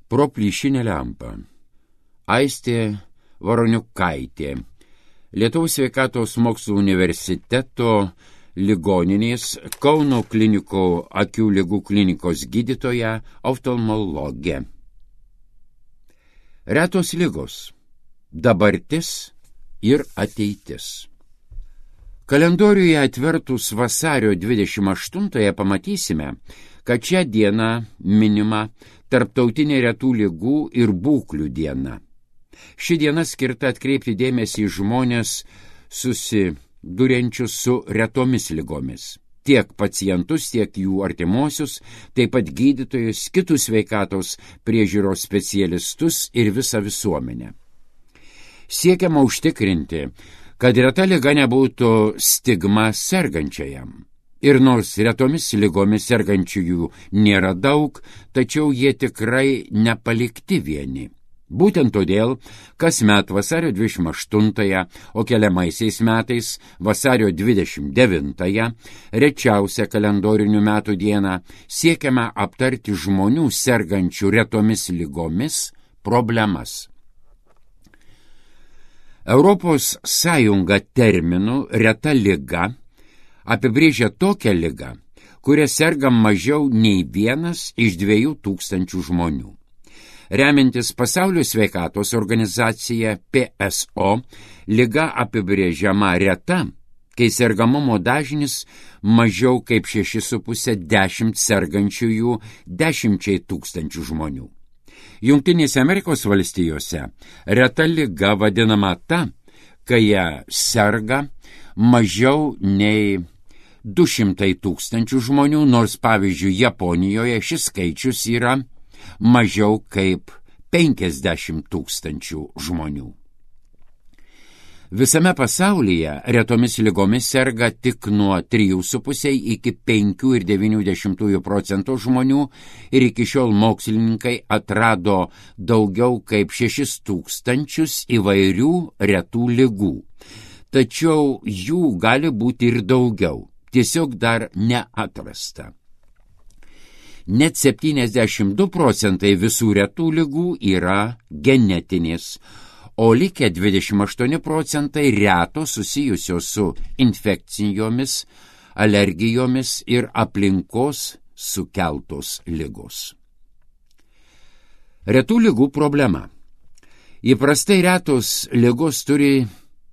Pro plyšinę lempą. Aistė Varoniukaitė, Lietuvos sveikatos mokslų universiteto ligoninės Kauno klinikų akių ligų klinikos gydytoja, oftalmologė. Retos ligos, dabartis ir ateitis. Kalendoriuje atvertus vasario 28-ąją pamatysime, kad šią dieną minima Tarptautinė retų ligų ir būklių diena. Ši diena skirta atkreipti dėmesį į žmonės susiduriančius su retomis ligomis. Tiek pacientus, tiek jų artimuosius, taip pat gydytojus, kitus sveikatos priežiūros specialistus ir visą visuomenę. Siekiama užtikrinti, kad reta liga nebūtų stigma sergančiajam. Ir nors retomis ligomis sergančiųjų nėra daug, tačiau jie tikrai nepalikti vieni. Būtent todėl, kasmet vasario 28-ąją, o keliamaisiais metais vasario 29-ąją, rečiausią kalendorinių metų dieną, siekiama aptarti žmonių sergančių retomis ligomis problemas. Europos Sąjunga terminu reta liga apibrėžia tokią ligą, kuria serga mažiau nei 1 iš 2,000 žmonių. Remiantis Pasaulio sveikatos organizacija PSO, liga apibrėžiama reta, kai sergamumo dažnis mažiau kaip 6,5-10 sergančiųjų 10,000 žmonių. Jungtinėse Amerikos valstijose reta liga vadinama ta, kai ją serga mažiau nei 200,000 žmonių, nors pavyzdžiui Japonijoje šis skaičius yra mažiau kaip 50,000 žmonių. Visame pasaulyje retomis ligomis serga tik nuo 3,5 iki 5,9% žmonių ir iki šiol mokslininkai atrado daugiau kaip 6,000 įvairių retų ligų. Tačiau jų gali būti ir daugiau, tiesiog dar neatrasta. Net 72% visų retų ligų yra genetinės, o likę 28% retos susijusios su infekcijomis, alergijomis ir aplinkos sukeltos ligos. Retų ligų problema. Įprastai retos ligos turi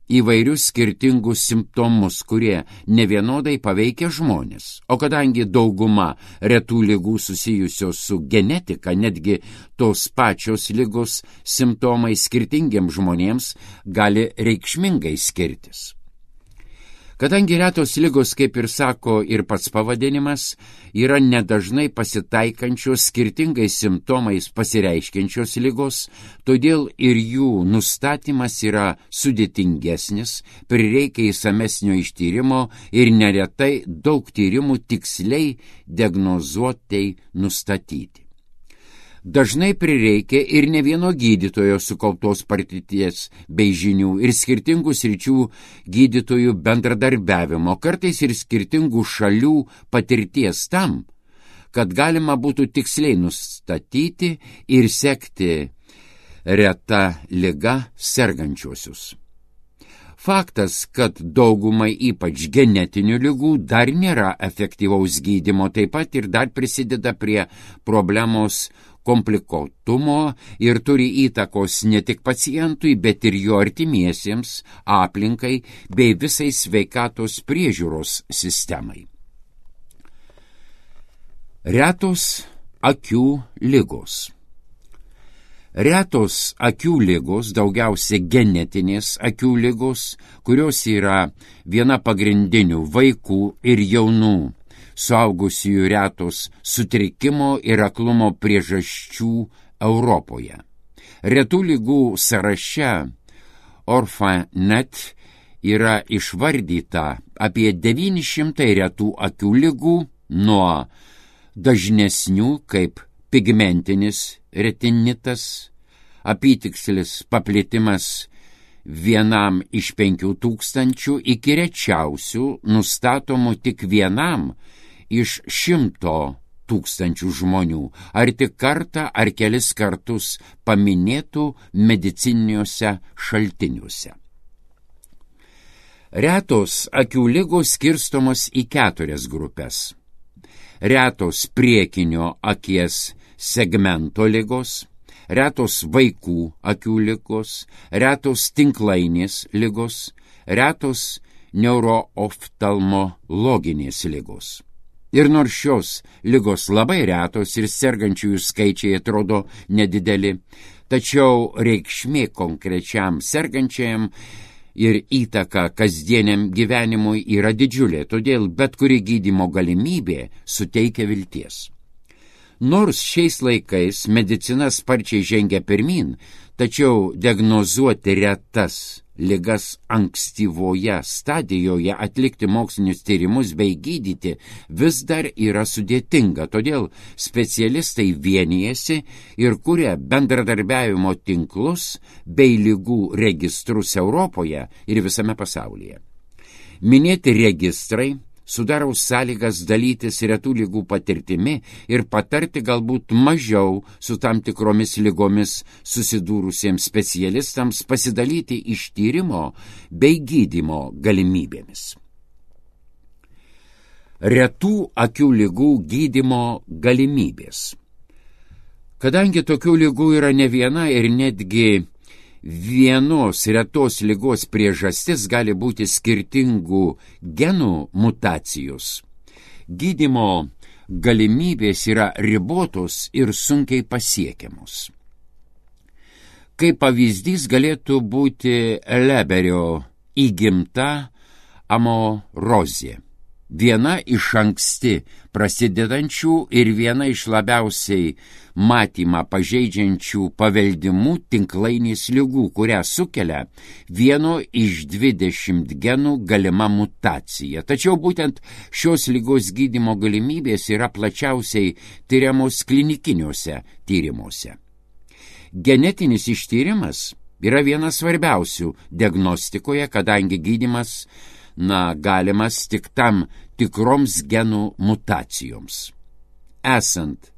įvairius skirtingus simptomus, kurie nevienodai paveikia žmonės. O kadangi dauguma retų ligų susijusios su genetika, netgi tos pačios ligos simptomai skirtingiems žmonėms gali reikšmingai skirtis. Kadangi retos ligos, kaip ir sako ir pats pavadinimas, yra nedažnai pasitaikančios skirtingais simptomais pasireiškiančios ligos, todėl ir jų nustatymas yra sudėtingesnis, prireikia įsamesnio ištyrimo ir neretai daug tyrimų tiksliai diagnozuotai nustatyti. Dažnai prireikia ir ne vieno gydytojo sukauptos patirties bei žinių ir skirtingų sričių gydytojų bendradarbiavimo, kartais ir skirtingų šalių patirties tam, kad galima būtų tiksliai nustatyti ir sekti reta liga sergančiuosius. Faktas, kad daugumai ypač genetinių ligų dar nėra efektyvaus gydymo, taip pat ir dar prisideda prie problemos komplikuotumo ir turi įtakos ne tik pacientui, bet ir jo artimiesiems, aplinkai bei visai sveikatos priežiūros sistemai. Retos akių ligos. Retos akių ligos, daugiausia genetinės akių ligos, kurios yra viena pagrindinių vaikų ir jaunų suaugusiųjų retos sutrikimo ir aklumo priežasčių Europoje. Retų ligų sąraše Orphanet yra išvardyta apie 900 retų akių ligų, nuo dažnesnių kaip pigmentinis retinitas, apytikslis paplitimas 1 iš 5,000 iki rečiausių nustatomų tik 1 iš 100 tūkstančių žmonių, ar tik kartą ar kelis kartus paminėtų medicininiuose šaltiniuose. Retos akių ligos skirstomos į 4 grupės. Retos priekinio akies segmento ligos, retos vaikų akių ligos, retos tinklainės ligos, retos neurooftalmologinės ligos. Ir nors šios ligos labai retos ir sergančiųjų skaičiai atrodo nedideli, tačiau reikšmė konkrečiam sergančiajam ir įtaka kasdieniam gyvenimui yra didžiulė, todėl bet kuri gydymo galimybė suteikia vilties. Nors šiais laikais medicina sparčiai žengia pirmyn, tačiau diagnozuoti retas ligas ankstyvoje stadijoje, atlikti mokslinius tyrimus bei gydyti vis dar yra sudėtinga, todėl specialistai vienijasi ir kuria bendradarbiavimo tinklus bei ligų registrus Europoje ir visame pasaulyje. Minėti registrai sudaro sąlygas dalytis retų ligų patirtimi ir patarti galbūt mažiau su tam tikromis ligomis susidūrusiems specialistams pasidalyti iš tyrimo bei gydymo galimybėmis. Retų akių ligų gydymo galimybės. Kadangi tokių ligų yra ne viena ir netgi vienos retos ligos priežastis gali būti skirtingų genų mutacijos, gydymo galimybės yra ribotos ir sunkiai pasiekiamos. Kaip pavyzdys galėtų būti Leberio įgimta amorozė. Viena iš anksti prasidedančių ir viena iš labiausiai matymą pažeidžiančių paveldimų tinklainės ligų, kurią sukelia vieno iš 20 genų galima mutacija. Tačiau būtent šios ligos gydymo galimybės yra plačiausiai tyriamos klinikiniuose tyrimuose. Genetinis ištyrimas yra vienas svarbiausių diagnostikoje, kadangi gydymas galimas tik tam tikroms genų mutacijoms. Esant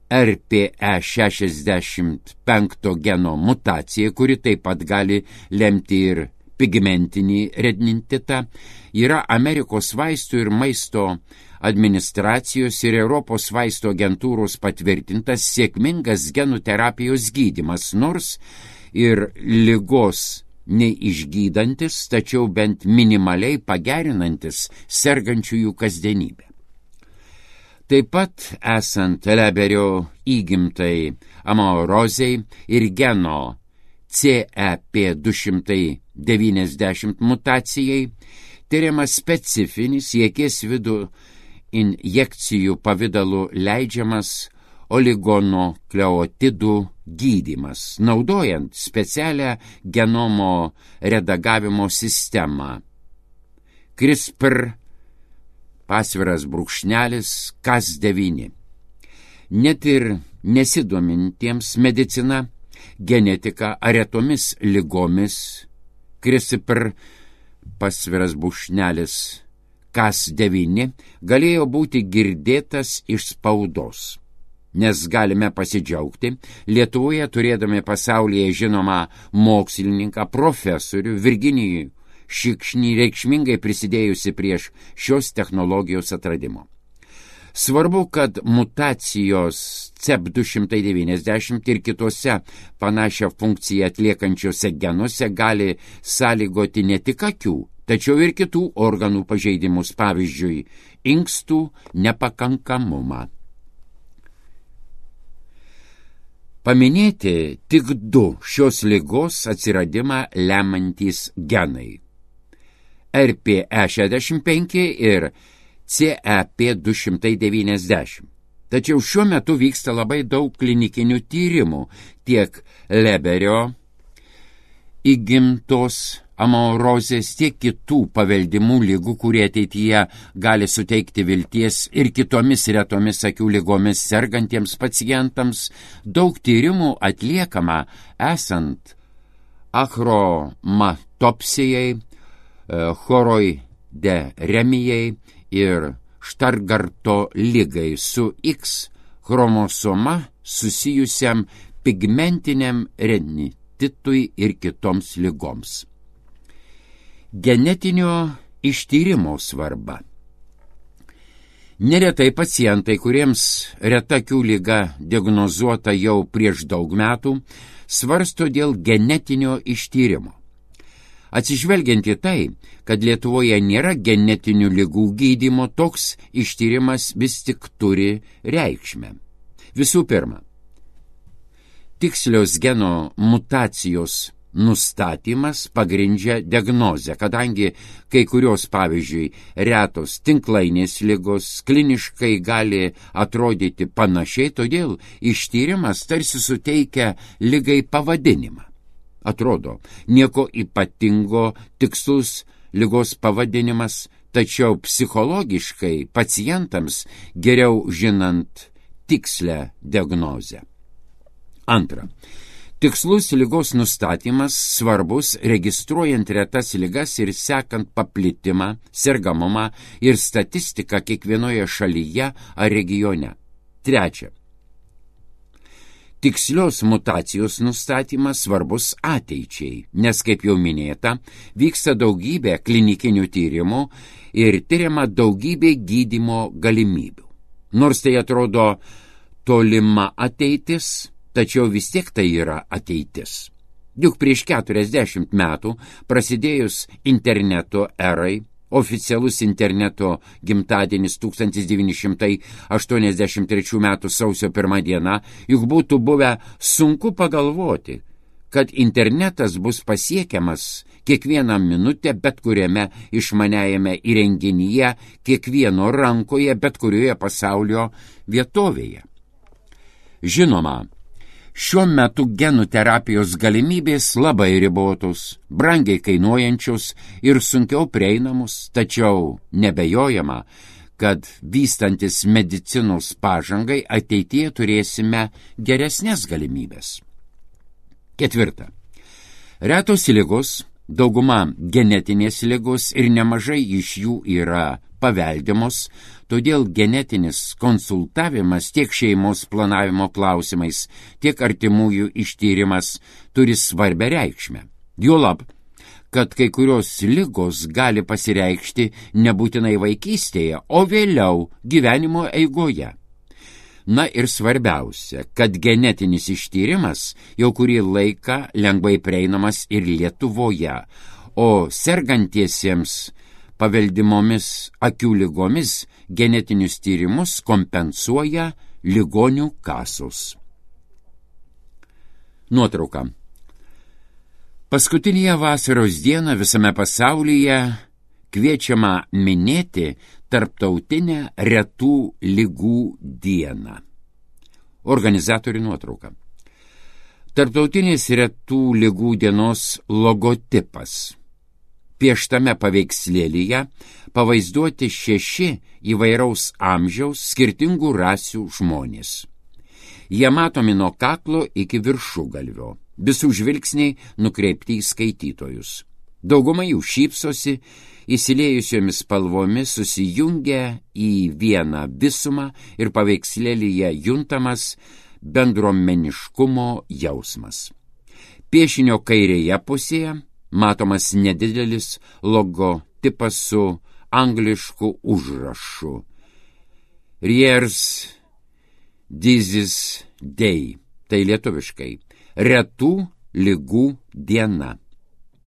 RPE65 geno mutacija, kuri taip pat gali lemti ir pigmentinį retinitetą, yra Amerikos vaistų ir maisto administracijos ir Europos vaistų agentūros patvirtintas sėkmingas genų terapijos gydymas, nors ir ligos neišgydantis, tačiau bent minimaliai pagerinantis sergančiųjų kasdienybę. Taip pat esant Leberio įgimtai amorozei ir geno CEP290 mutacijai, tyriamas specifinis į akies vidų injekcijų pavidalu leidžiamas oligonukleotidų gydymas, naudojant specialią genomo redagavimo sistemą. CRISPR_Cas9. Net ir nesidomintiems medicina, genetika ar retomis ligomis CRISPR_Cas9 galėjo būti girdėtas iš spaudos. Nes galime pasidžiaugti Lietuvoje turėdami pasaulyje žinomą mokslininką, profesorių Virginijų Šikšnį, reikšmingai prisidėjusi prieš šios technologijos atradimo. Svarbu, kad mutacijos CEP290 ir kitose panašią funkciją atliekančiose genuose gali sąlygoti ne tik akių, tačiau ir kitų organų pažeidimus, pavyzdžiui, inkstų nepakankamumą. Paminėti tik 2 šios ligos atsiradimą lemantys genai – RPE65 ir CEP290. Tačiau šiuo metu vyksta labai daug klinikinių tyrimų tiek Leberio įgimtos amorozės, tiek kitų paveldimų ligų, kurie ateityje gali suteikti vilties ir kitomis retomis akių ligomis sergantiems pacientams. Daug tyrimų atliekama esant achromatopsijai, choroideremijai ir Štargarto ligai su X chromosoma susijusiam pigmentiniam retitui ir kitoms ligoms. Genetinio ištyrimo svarba. Neretai pacientai, kuriems reta akių liga diagnozuota jau prieš daug metų, svarsto dėl genetinio ištyrimo. Atsižvelgiant į tai, kad Lietuvoje nėra genetinių ligų gydymo, toks ištyrimas vis tik turi reikšmę. Visų pirma, tikslios geno mutacijos nustatymas pagrindžia diagnozę, kadangi kai kurios, pavyzdžiui, retos tinklainės ligos kliniškai gali atrodyti panašiai, todėl ištyrimas tarsi suteikia ligai pavadinimą. Atrodo, nieko ypatingo, tikslus ligos pavadinimas, tačiau psichologiškai pacientams geriau žinant tikslę diagnozę. Antra. Tikslus ligos nustatymas svarbus registruojant retas ligas ir sekant paplitimą, sergamumą ir statistiką kiekvienoje šalyje ar regione. Trečia. Tikslios mutacijos nustatymas svarbus ateičiai, nes, kaip jau minėta, vyksta daugybė klinikinių tyrimų ir tyriama daugybė gydymo galimybių. Nors tai atrodo tolima ateitis, tačiau vis tiek tai yra ateitis. Juk prieš 40 metų, prasidėjus interneto erai, oficialus interneto gimtadienis 1983 metų sausio 1 diena, juk būtų buvę sunku pagalvoti, kad internetas bus pasiekiamas kiekvieną minutę bet kuriame išmaniajame įrenginyje, kiekvieno rankoje, bet kurioje pasaulio vietovėje. Žinoma, šiuo metu genų terapijos galimybės labai ribotos, brangiai kainuojančios ir sunkiau prieinamos, tačiau nebejojama, kad vystantis medicinos pažangai ateityje turėsime geresnės galimybės. Ketvirta. Retos ligos, dauguma genetinės ligos ir nemažai iš jų yra paveldimos, todėl genetinis konsultavimas tiek šeimos planavimo klausimais, tiek artimųjų ištyrimas turi svarbią reikšmę. Juolab, kad kai kurios ligos gali pasireikšti nebūtinai vaikystėje, o vėliau gyvenimo eigoje. Na ir svarbiausia, kad genetinis ištyrimas jau kurį laiką lengvai prieinamas ir Lietuvoje, o sergantiesiems paveldimomis akių ligomis genetinius tyrimus kompensuoja ligonių kasos. Nuotrauka. Paskutinėje vasaros dieną visame pasaulyje kviečiama minėti Tarptautinę retų ligų dieną. Organizatorių nuotrauka. Tarptautinės retų ligų dienos logotipas. Pieštame paveikslėlyje pavaizduoti 6 įvairaus amžiaus skirtingų rasių žmonės. Jie matomi nuo kaklo iki viršugalvio, visų žvilgsniai nukreipti į skaitytojus. Dauguma jų šypsosi, įsiliejusiomis spalvomis susijungia į vieną visumą ir paveikslėlyje juntamas bendruomeniškumo jausmas. Piešinio kairėje pusėje matomas nedidelis logotipas su anglišku užrašu Rieres Disease Day, tai lietuviškai retų ligų diena.